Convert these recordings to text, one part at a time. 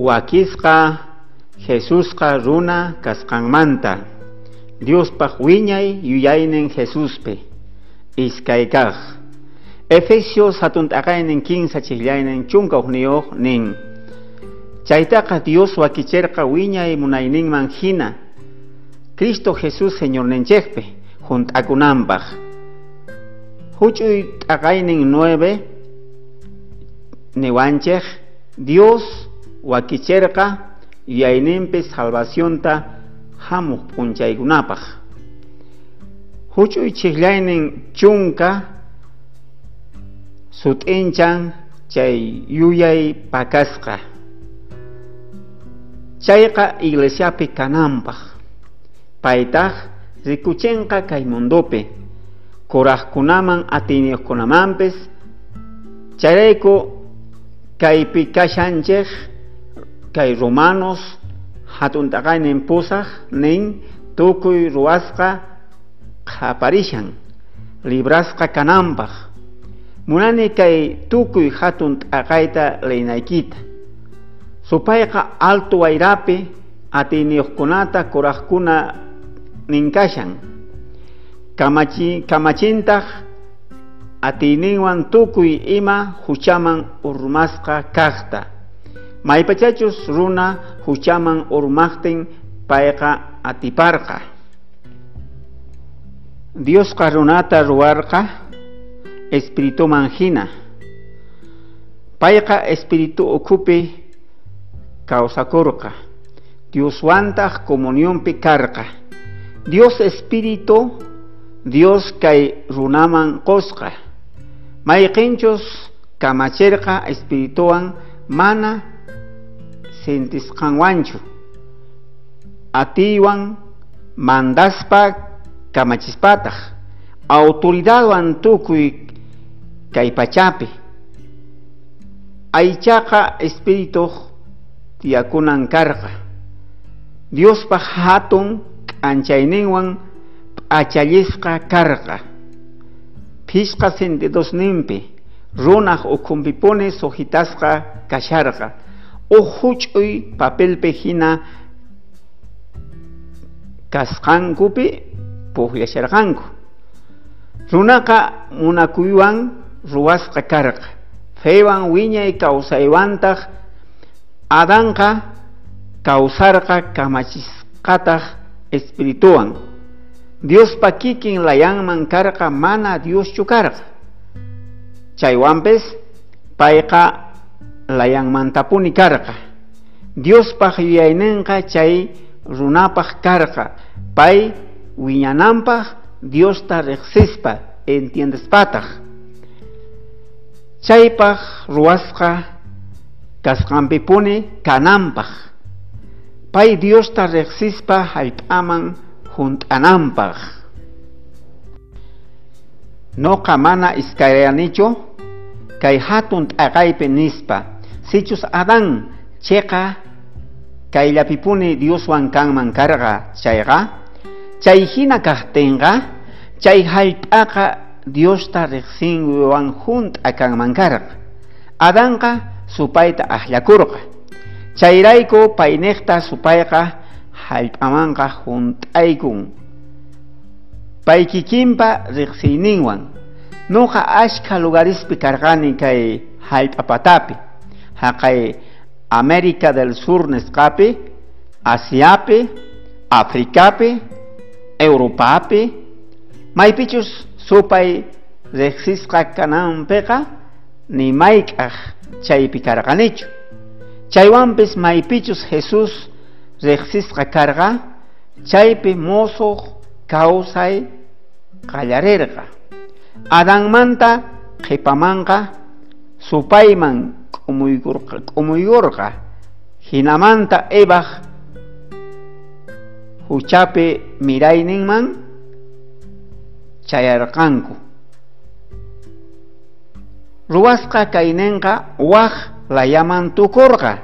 Wakisqa Jesusqa runa kasqanmanta. Diospaq wiñay yuyaynin Jesuspi. Iskay kaq. Efesios hatun t'aqaynin 15 chijllaynin 11 nin. Chaytaqa Dios wakicherqa wiñay munayninman hina. Cristo Jesús Señorninchikpi junt'akunanpaq. Huch'uy t'aqaynin 9 niwanchik Dios wakicherqa yuyayninpi salvacionta hamuq p'unchaykunapaq. Huch'uy chijllaynin 10 sut'inchan chay yuyay pakasqa. Chayqa iglesiapi kananpaq. Paytaq rikuchinqa kay mundopi kuraqkunaman atiyniyuqkunamanpis. Chayrayku kaypi kashanchik kay Romanos hatun t'aqaynin 8 nin tukuy ruwasqa qhaparishan librasqa kananpaq. Munani kay tukuy hatun t'aqayta leynaykita. Supayqa alto wayrapi atiyniyuqkunata kuraqkuna ninkashan. Kamachintaq atiyninwan tukuy ima huchaman urmasqa kaqta. Maypachachus runa huchaman urmaqtin payqa atiparqa. Diosqa runata ruwarqa espirituman hina. Payqa espíritu ukhupi kawsakurqa. Dioswantaq comunionpi karqa. Dios espíritu, Dios kay runaman qosqa. Mayqinchus kamachirqa espirituwan mana sintisqanwanchu. Atiywan mandaspa kamachispataq. Autoridadwan tukuy kay pachapi. Aychaqa espirituq tiyakunan karqa. Diospaq hatun k'anchayninwan p'achallisqa karqa. Phishqa sentidosninpi runaq ukhunpipuni sujitasqa kasharqa. Uj huch'uy papelpi hina kasqankupi puqllasharqanku. Runaqa munakuywan ruwasqa karqa. Fewan wiñay kawsaywantaq Adanqa kawsarqa kamachisqataq espirituwan. Diospa kikin layanman karqa mana Dioschu karqa. Chaywanpis payqa layanmantapuni karqa. Diospaq yuyayninqa chay runapaq karqa. Pay wiñananpaq Diosta riqsispa entiendespataq. Chaypaq ruwasqa kasqanpipuni kananpaq. Pay Diosta riqsispa hallp'aman junt'ananpaq. Noqa mana iskayrayanichu kay hatun t'aqaypi nispa. Sichus Adán chiqa kayllapipuni Dioswan kanman karqa chayqa, chay hina kaqtinqa chay hallp'aqa Diosta riqsinwan junt'a kanman karqa. Adanqa supayta akllakurqa. Chayrayku payniqta supayqa hallp'amanqa junt'aykun. Pay kikinpa riqsiyninwan. Noqa ashkha lugarispi karqani kay hallp'apatapi. Haqay América del Sur nisqapi, Asiapi, Africapi, Europapi. Maypichus supay riqsisqa kananpiqa ni mayk'aq chaypi karqanichu. Chaywanpis maypichus Jesús riqsisqa karqa, chaypi musuq kawsay qallarirqa. Adanmanta qhipamanqa supayman k'umuykurqa. Hinamanta Evaq huchapi mirayninman chayarqanku. Ruwasqa kayninqa waj layaman tukurqa.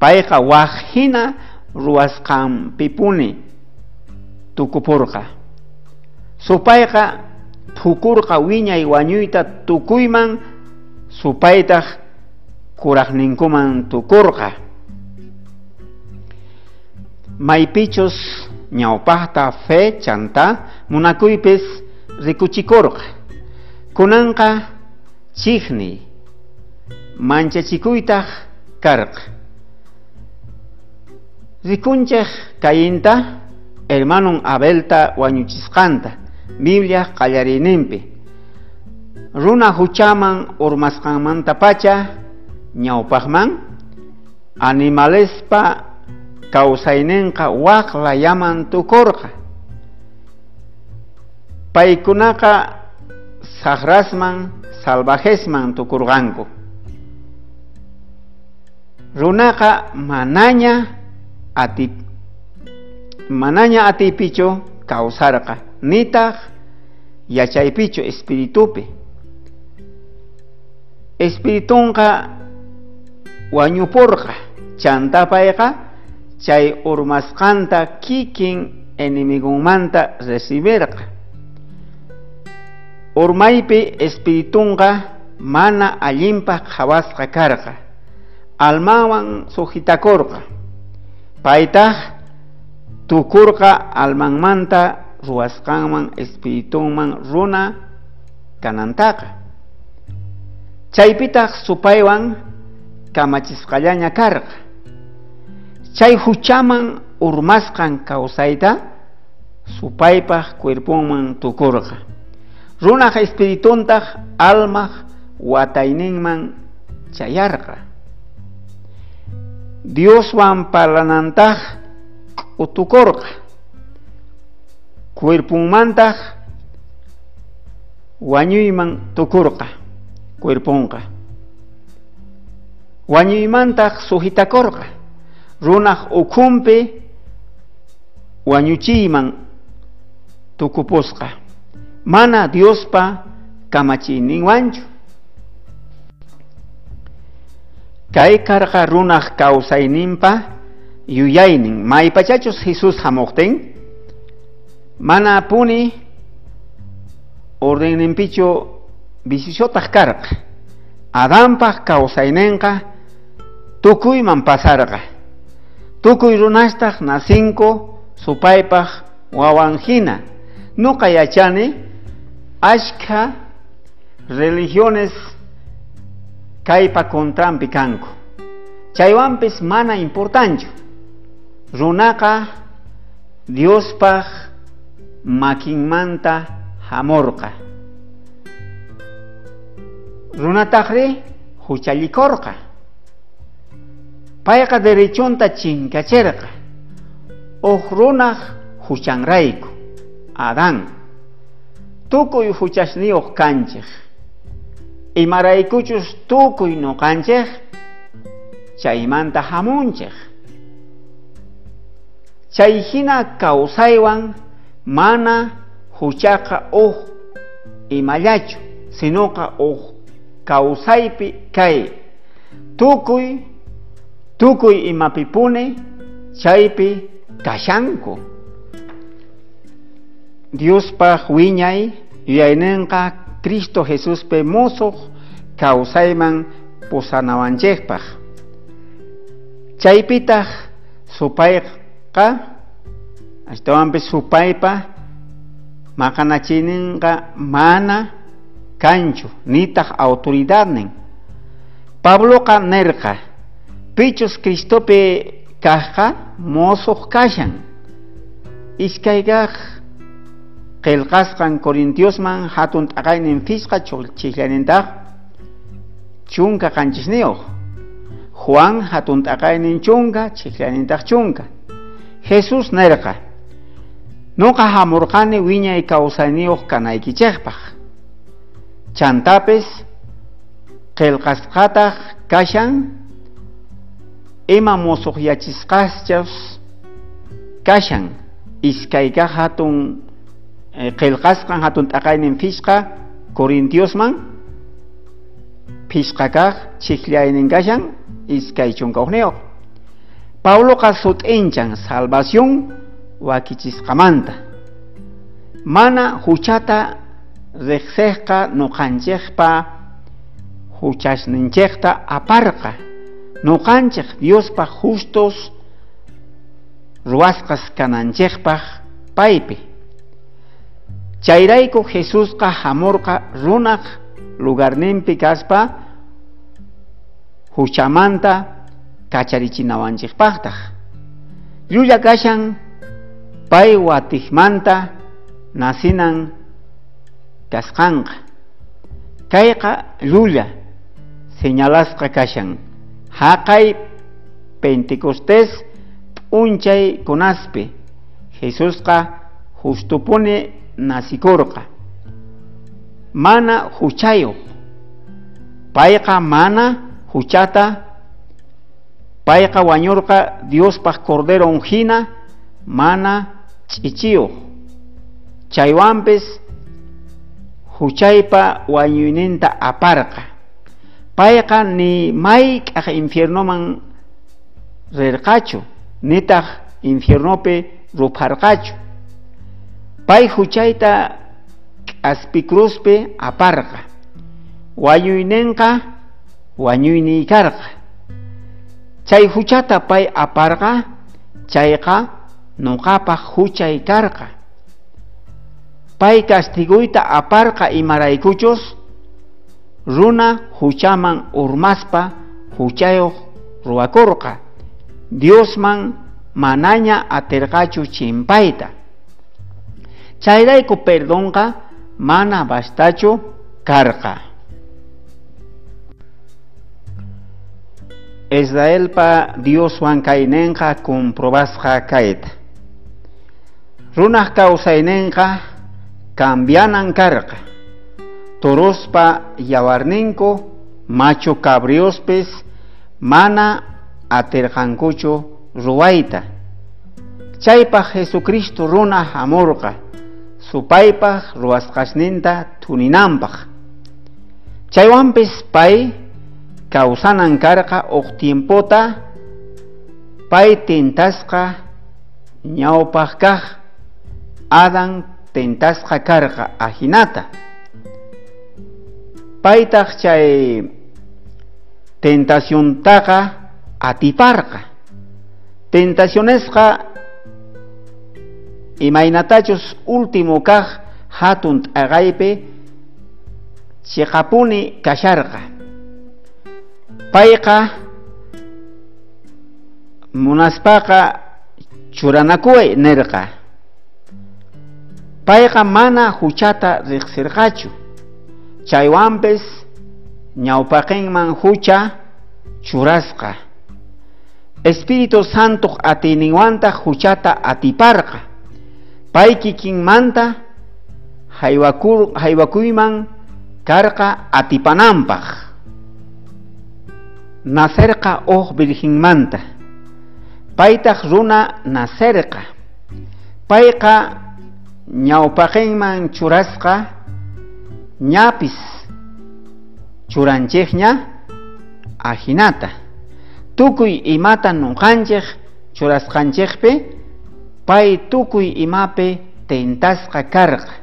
Payqa waj hina ruwasqanpipuni tukupurqa. Supayqa phukurqa wiñay wañuyta tukuyman, supaytaq kurajninkuman tukorqa. Maypichus ñawpajta fe chanta munakuypis rikuchikorqa. Kunanqa chijniy manchachikuytaj karqa. Rikunchej Cainta hermanon Abelta wañuchisqanta Biblia qallariyninpi. Runa huchaman urmasqanmantapacha ñawpajman animalespa kawsayninqa waj layaman tukorqa. Paykunaqa sajrasman salvajesman tukurqanku. Runaqa manaña atiypichu kawsarqa, nitaq yachaypichu espiritupi. Espiritunqa wañuporqa, chanta payqa chay urmasqanta kikin enemigonmanta recibirqa. Urmaypi espiritunqa mana allinpaj qhawasqa karqa, almawan sujitakorqa. Paytaj tukurqa almanmanta ruwasqanman espiritunman runa kanantaqa. Chaypitaj supaywan kamachisqallaña karqa. Chay huchaman urmasqan kawsayta supaypaj cuerponman tukurqa. Runaj espirituntaj almaj watayninman chayarqa. Dioswan parlanantaj k'utukorqa. Cuerponmantaj wañuyman tukurqa cuerponqa. Wañuymantaj sujitakorqa. Runaj ukhunpi wañuchiyman tukupusqa. Mana Diospa kamachiyninwanchu. Kay karqa runaj kawsayninpa yuyaynin. Maypachachus Jesús hamuqtin mana puni ordenninpichu vicisiotaq karqa. Adanpaj kawsayninqa tukuyman pasarqa. Tukuy runastaq nacinku supaypaj wawan hina. Nuqa yachani ashkha religiones kaypa contranpi kanku. Chaywanpis mana importanchu. Runaqa Diospaj makinmanta hamorqa. Runatajri huchallikorqa. Payqa derechonta chinkacherqa. Uj runaj huchanrayku. Adán. Tukuy huchasniyuq kanchej. Imaraykuchus tukuy noqanchej chaymanta hamunchej. Chay hina kawsaywan mana huchaqa uj imallachu, sinoqa uj kawsaypi kay. Tukuy imapipuni chaypi kashanku. Diospaj wiñay yuyayninqa Cristo Jesuspi musuq kawsayman pusanawanchikpaj. Chaypitaj supayqa ashtawanpis supaypa maqanachiyninqa mana kanchu nitaq autoridadnin. Pabloqa nerqa pichus Cristopi kajqa musuq kashan. Iskaykaj qillqasqan Corintiosman hatun t'aqaynin phisqa chijllanintaq chunka qanchisniyuq. Juan hatun t'aqaynin chunka chijllanintaq chunka. Jesús nerqa nuqa hamurqani wiñay kawsayniyuq kanaykichikpaq. Chantapis qillqasqataq kashan ima musuqyachisqaschus kashan. Iskaykaj hatun qillqasqan hatun t'aqaynin phisqa Corintiosman phisqa kaq chijllaynin kashan iskay chunka hukniyuq. Pabloqa sut'inchan salvación wakichisqamanta. Mana huchata riqsejqa nuqanchikpa Huchasninchejta aparqa. Noqanchej Diospaj justos ruwasqas kananchejpaj paypi. Chayrayku Jesusqa hamurqa runaj lugarninpi kaspa huchamanta kacharichinawanchejpajtaj. Llulla kashan pay watijmanta nasinan kasqanqa. Kayqa llulla señalasqa kashan. Haqay Pentecostés p'unchay kunaspi Jesusqa justupuni nasikurqa. Mana huchayuq. Payqa mana huchata, payqa wañurqa Diospaj Corderon hina mana ch'ichiyuq. Chaywanpis huchaypa wañuyninta aparqa. Payqa ni mayk'aj infiernoman rirqachu, nitaq infiernopi rupharqachu. Pay huchayta k'aspi cruzpi aparqa. Wañuyninqa wañuyniy karqa. Chay huchata pay aparqa, chayqa nuqapaj huchay karqa. Pay castiguyta aparqa imaraykuchus runa huchaman urmaspa huchayuq ruwakurqa. Diosman manaña atirqachu chimpayta. Chayrayku perdonqa mana bastachu karqa. Israelpa Dioswan kayninqa comprobasqa kayta. Runaj kawsayninqa cambianan karqa. Torospa yawarninku machu cabriospis mana atirqankuchu ruwayta. Chaypaj Jesucristo runa hamurqa supaypaj ruwasqasninta thuninanpaj. Chaywanpis pay kawsanan karqa uj tiempota pay tentasqa ñawpaj kaj Adán tentasqa karqa ajinata. Paytaj chay tentaciontaqa atiparqa. Tentacionesqa imaynatachus último kaj hatun t'aqaypi chiqapuni kasharqa. Payqa munaspaqa churanakuway nirqa. Payqa mana huchata riqsirqachu. Chaywanpis ñawpaqinman hucha churasqa. Espíritu Santo atiyninwantaq huchata atiparqa. Pay kikinmanta haywakuyman karqa atipananpaq. Nacerqa uj virginmanta. Paytaq runa nacerqa. Payqa ñawpaqinman churasqa ñapis churanchejña ajinata. Tukuy imata nuqanchej churasqanchejpi pay tukuy imapi tentasqa karqa.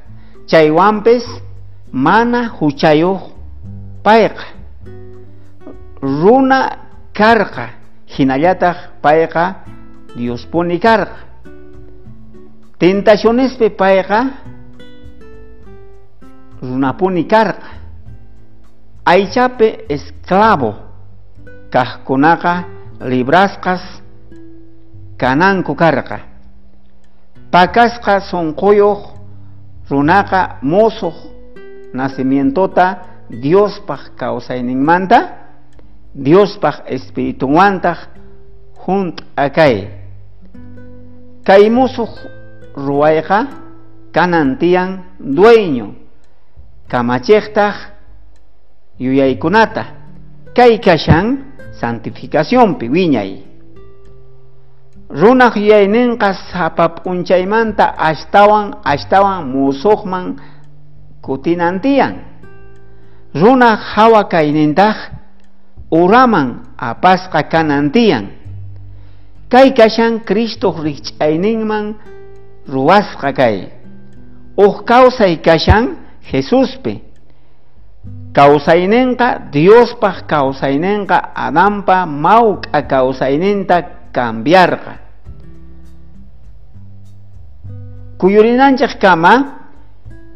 Chaywanpis mana huchayuq payqa. Runa karqa hinallataq payqa Diospuni karqa. Tentacionespi payqa runapuni karqa. Aychapi esclavo kajkunaqa librasqas kananku karqa. Pakasqa sunquyuq runaqa musuq nacimientota Diospaj kawsayninmanta Diospaj espiritunwantaq junt'a kay. Kay musuq ruwayqa kanan tiyan dueño kamachejtaj yuyaykunata. Kay kashan santificacionpi wiñay. Runaj yuyayninqa sapa p'unchaymanta ashtawan ashtawan musuqman kutinan tiyan. Runaj hawa kaynintaj uraman apasqa kanan tiyan. Kay kashan Cristo rijch'ayninman ruwasqa kay. Uj kawsay kashan Jesuspi. Kawsaynenqa Diospaj kawsaynenqa Adanpa mawk'a kawsayninta cambiarqa. Kuyurinanchej kama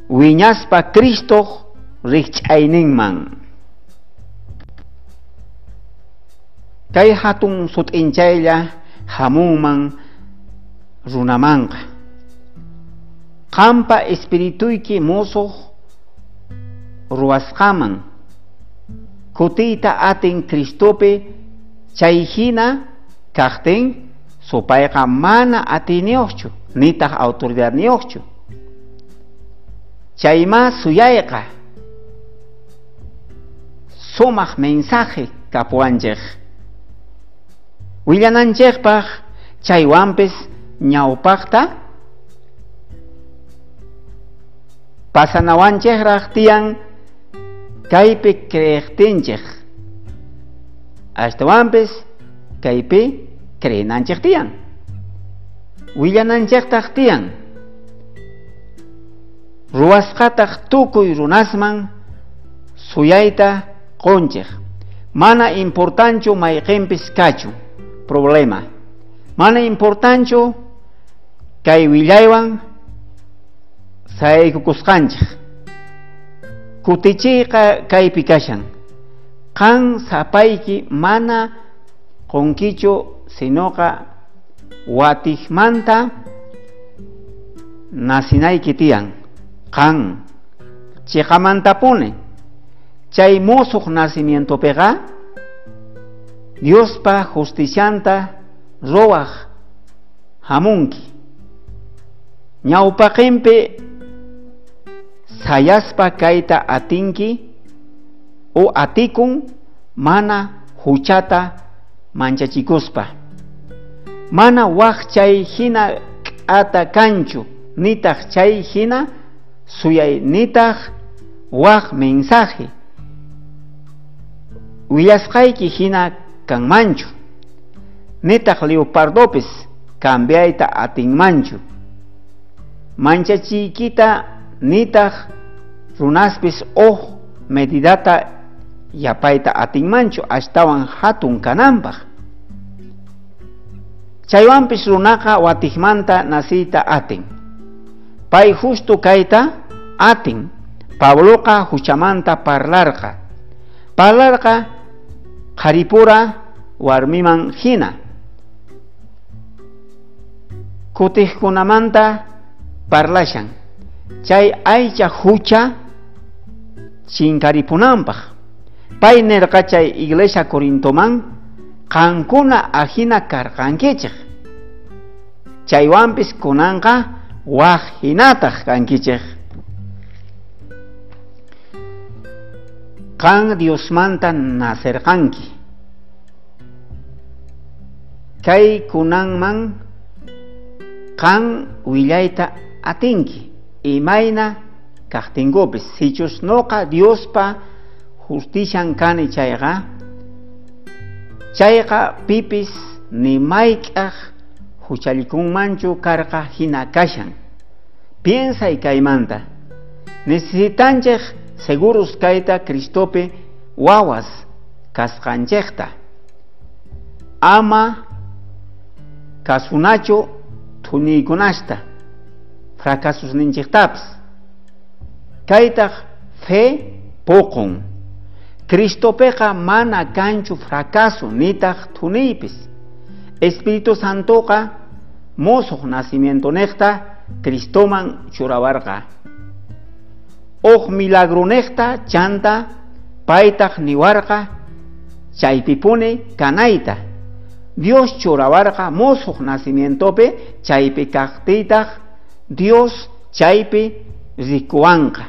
wiñaspa Cristoj rikch'ayninman. Kay hatun sut'inchaylla hamunman runamanqa. Qampa espirituyki musuq ruwasqaman kutiyta atin Cristopi chay hina kaqtin supayqa mana atiyniyuqchu nitaq autoridadniyuqchu. Chayma suyayqa sumaq mensaje kapuwanchej. Willananchejpaj chaywanpis ñawpaqta pasanawanchejraj tiyan kaypi creejtinchej. Ashtawanpis kaypi creenanchej tiyan. Willananchejtaj tiyan. Ruwasqataj tukuy runasman suyayta qonchej. Mana importanchu mayqinpis kachun problema. Mana importanchu kay willaywan sayaykukusqanchej. Kutichiyqa kaypi kashan. Qan sapayki mana qonkichu sinoqa watijmanta nacinayki tiyan. Qan chiqamantapuni chay musuq nacimientopiqa Diospa justicianta ruwaj hamunki. Ñawpaqinpi sayaspa kayta atinki o atikun mana huchata manchachikuspa. Mana waj chay hina k'ata kanchu nitaq chay hina suyay nitaq waj mensaje willasqayki hina kanmanchu nitaq leopardopis cambiayta atinmanchu. Manchachiykita nitaq runaspis uj medidata yapayta atinmanchu ashtawan hatun kananpaj. Chaywanpis runaqa watijmanta naciyta atin. Pay justo kayta atin. Pabloqa huchamanta parlarqa. Parlarqa qharipura warmiman hina. Kutijkunamanta parlashan. Chay aycha hucha chinkaripunanpaj. Pay nerqa chay iglesia Corintoman qankuna ajina karqankichej. Chaywanpis kunanqa waj hinataj kankichej. Qan Diosmanta nacerqanki. Kay kunanman qan willayta atinki. Imayna kaqtinkupis sichus noqa Diospa justician kani chayqa chayqa pipis ni mayk'aj huchallikunmanchu karqa hina kashan. Piensay kaymanta. Necesitanchej seguros kayta Cristopi wawas kasqanchejta. Ama kasunachu thuniykunasta fracasusninchejtapis. Kaytaj fe poqon. Cristopeqa mana kanchu fracaso nitaq thuniypis. Espíritu Santoqa musuq nacimientonejta Cristoman churawarqa. Uj milagronejta chanta paytaj niwarqa chaypipuni kanayta. Dios churawarqa musuq nacimientopi chaypi kaqtiytaj Dios chaypi rikuwanqa.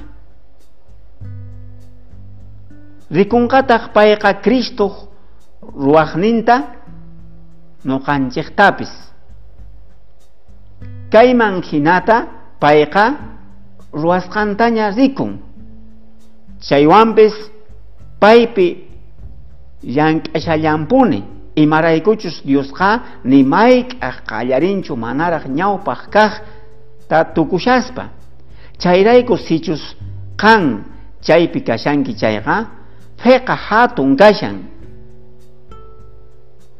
Rikunqataq payqa Cristoq ruwaqninta noqanchejtapis. Kayman hinata payqa ruwasqantaña rikun. Chaywanpis paypi llank'ashallampuni. Imaraykuchus Diosqa ni mayk'aj qallarinchu manaraj ñawpaj kaq ta tukushaspa. Chayrayku sichus qan chaypi kashanki chayqa, feqa hatun kashan.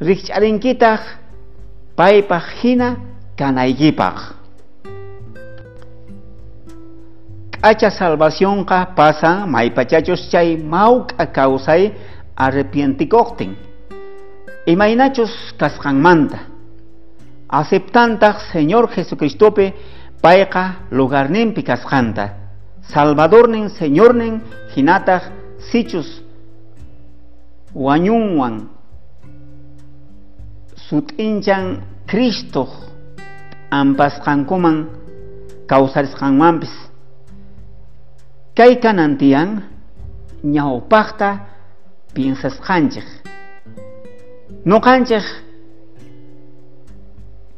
Rikch'arinkitaq paypaq hina kanaykipaq. K'acha salvacionqa pasan maypachachus chay mawk'a kawsay arrepientikuqtin. Imaynachus kasqanmanta. Aceptantaq Señor Jesucristopi payqa lugarninpi kasqanta. Salvadornin, Señornin hinataq sichus wañunwan sut'inchan Cristo ampasqankuman kawsarisqanmanpis. Kay kanan tiyan ñawpaqta piensasqanchik. Nuqanchik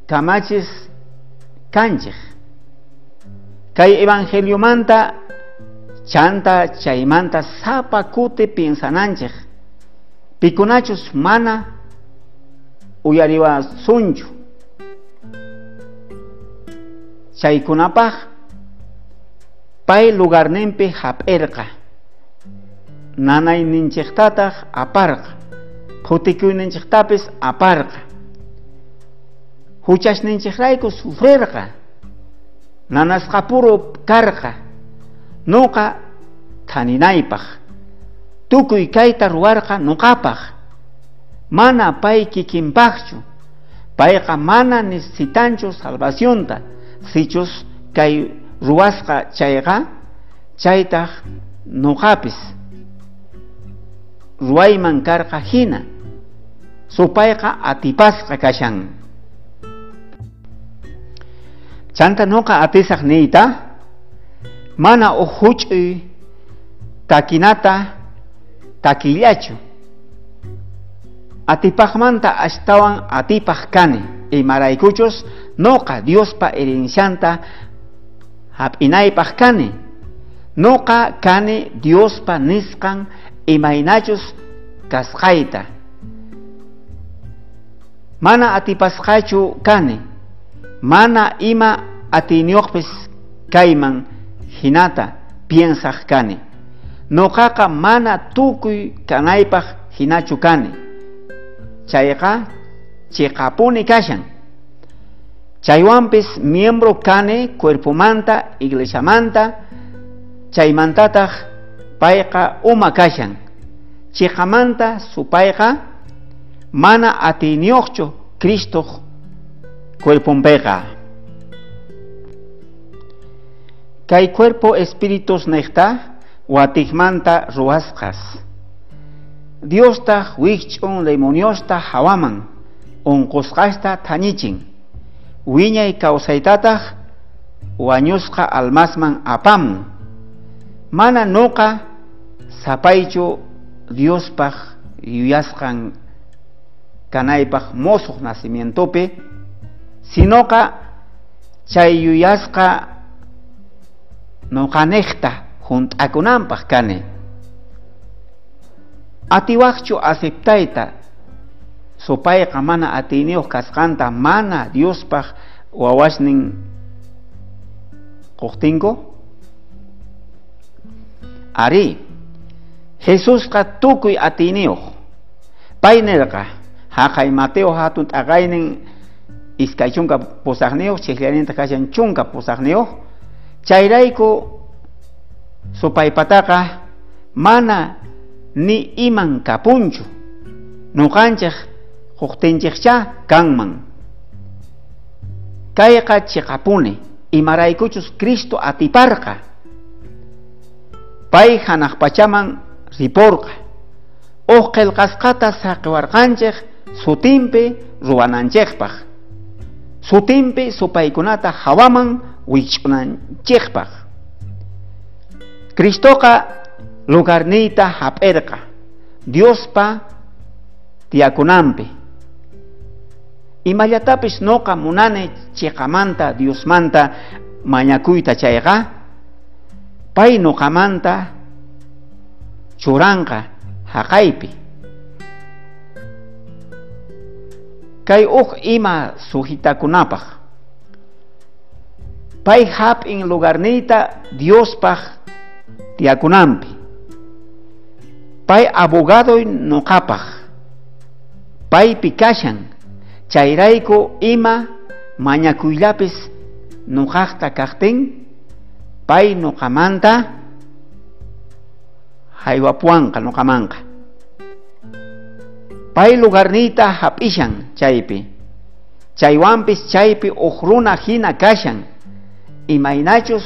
kamachis kanchik. Kay evangeliomanta chanta chaymanta sapa kuti piensananchik. Pikunachus mana uyariwasunchu. Chaykunapaq pay lugarninpi hap'irqa. Nanayninchiktataq aparqa. Phutikuyninchiktapis aparqa. Huchasninchikrayku sufrirqa. Nanasqapuro karqa. Nuqa thaninaypaq. Tukuy kayta ruwarqa nuqapaq. Mana pay kikinpaqchu. Payqa mana necesitanchu salvacionta. Sichus kay ruwasqa chayqa, chaytaq nuqapis ruwayman karqa hina. Supayqa atipasqa kashan. Chanta nuqa atisaq niyta, mana uj huch'uy takinata takillachu. Atipaqmanta ashtawan atipaq kani, imaraykuchus nuqa Diospa herencianta hap'inaypaq kani. Nuqa kani Diospa nisqan imaynachus kasqayta. Mana atipasqachu kani, mana ima atiyniyuqpis kayman hinata piensaq kani. Nuqaqa mana tukuy kanaypaq hinachu kani. Chayqa chiqapuni kashan. Chaywanpis miembro kani cuerpomanta, iglesiamanta, chaymantataq payqa uma kashan. Chiqamanta supayqa mana atiyniyuqchu Cristoq cuerponpiqa. Kay cuerpo espíritus niqta watikmanta ruwasqas. Diostaq wikch'un demoniosta hawaman unqusqasta thañichin. Wiñay kawsaytataq wañusqa almasman apamun. Mana nuqa sapaychu Diospaq yuyasqan kanaypaq mosuq nacimientopi, sinoqa chay yuyasqa nuqaniqta hunt'akunanpaq kani. Atiwaqchu aceptayta supayqa mana atiyniyuq kasqanta mana Diospaq wawasnin quqtinku? Ari, Jesusqa tukuy atiyniyuq. Pay nirqa, haqay Mateo hatun t'aqaynin 28 chikllaninta kashan 18. Chayrayku supaypataqa mana ni iman kapunchu. Nuqanchik quqtinchikcha kanman. Kayqa chiqapuni, imaraykuchus Cristo atiparqa. Pay hanaq pachaman riporqa. Uj qillqasqata saqiwarqanchik sutinpi ruwananchikpaq. Sutinpi supaykunata hawaman wich'unanchikpaq. Cristoqa lugarniyta hap'irqa Diospa tiyakunanpi. Imallatapis nuqa munani chiqamanta Diosmanta mañakuyta chayqa, pay nuqamanta churanqa haqaypi. Kay uj ima sujitakunapaq. Pay hap'in lugarniyta Diospaq tiyakunanpi. Pay abogadoy noqapaj, paypi kashan, chayrayku ima mañakuyllapis noqajta kajtin, pay noqamanta haywapuanqa noqamanqa. Pay lugarniyta hap'ishan chaypi, chaywanpis chaypi uj runa hina kashan, imaynachus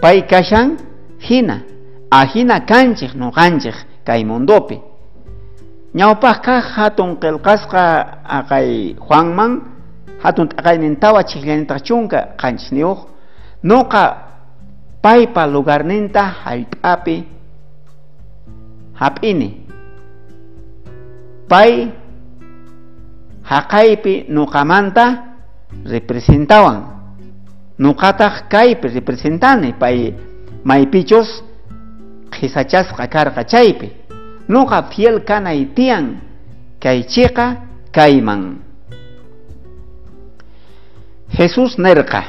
pay kashan hina, ajina kanchej noqanchej kay mundopi. Ñawpajqa hatun qillqasqa aqay Juanman hatun t'aqaynin 4:17 noqa paypa lugarninta hallp'api hap'ini. Pay haqaypi noqamanta representawan, noqataq kaypi representani pay maypichus qhisachasqa karqa chaypi. Noqa fiel kanay tiyan kay chiqa kayman. Jesús nerqa,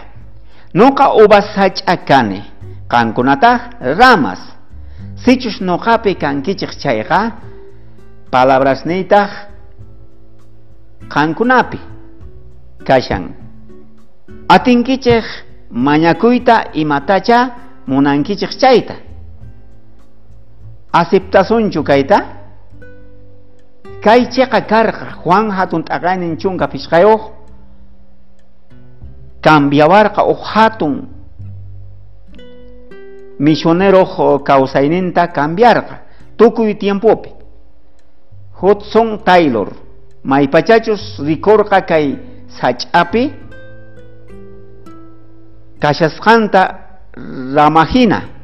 noqa uvas sach'a kani, qankunataq ramas. Sichus noqapi kankichej chayqa, palabrasniytaq qankunapi kashan. Atinkichej mañakuyta imatacha munankichej chayta. Aceptasunchu kayta? Kay chiqa karqa Juan hatun t'aqaynin 15 cambiawarqa uj hatun misionero kawsayninta cambiarqa tukuy tiempopi. Hudson Taylor maypachachus rikurqa kay sach'api kashasqanta ramajina.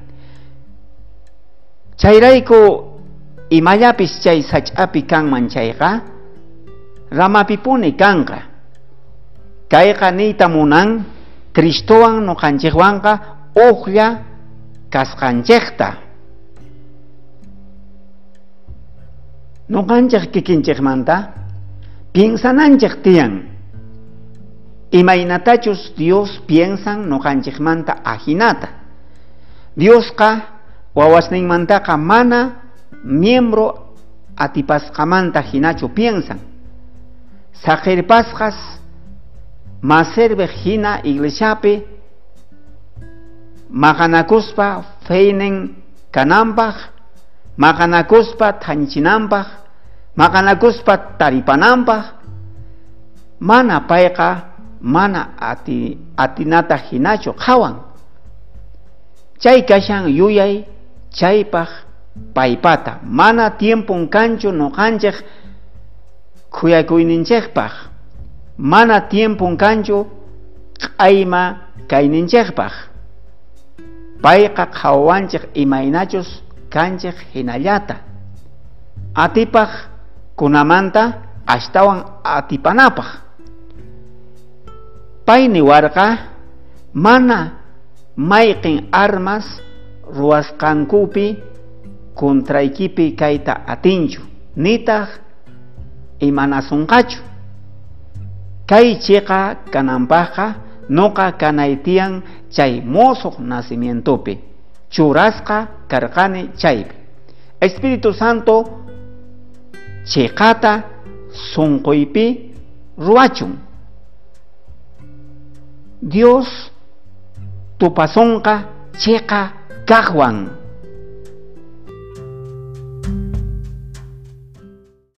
Chayrayku imallapis chay sach'api kanman chayqa ramapipuni kanqa. Kayqa niyta munan Cristowan noqanchejwanqa ujlla kasqanchejta. Noqanchej kikinchejmanta piensananchej tiyan. Imaynatachus Dios piensan noqanchejmanta ajinata. Diosqa wawasninmantaqa mana miembro atipasqamanta hinachu piensan. Saqirpasqas maservej hina iglesiapi maqanakuspa feynin kananpaj, maqanakuspa thanchinanpaj, maqanakuspa taripananpaj, mana payqa mana atinata hinachu qhawan. Chay kashan yuyay chaypaj paypata, mana tiempon kanchu noqanchej khuyakuyninchejpaj, mana tiempon kanchu q'ayma kayninchejpaj. Payqa qhawanchej imaynachus kanchej hinallata. Atipaj kunamanta ashtawan atipanapaj. Pay niwarqa mana mayqin armas ruwasqankupi contraykipi kayta atinchu, nitaq imanasunqachu. Kay chiqa kananpajqa noqa kanay tiyan chay mosoq nacimientopi churasqa karqani chaypi. Espíritu Santo chiqata sunquypi ruwachun. Dios tupasonqa chiqa kaqwan.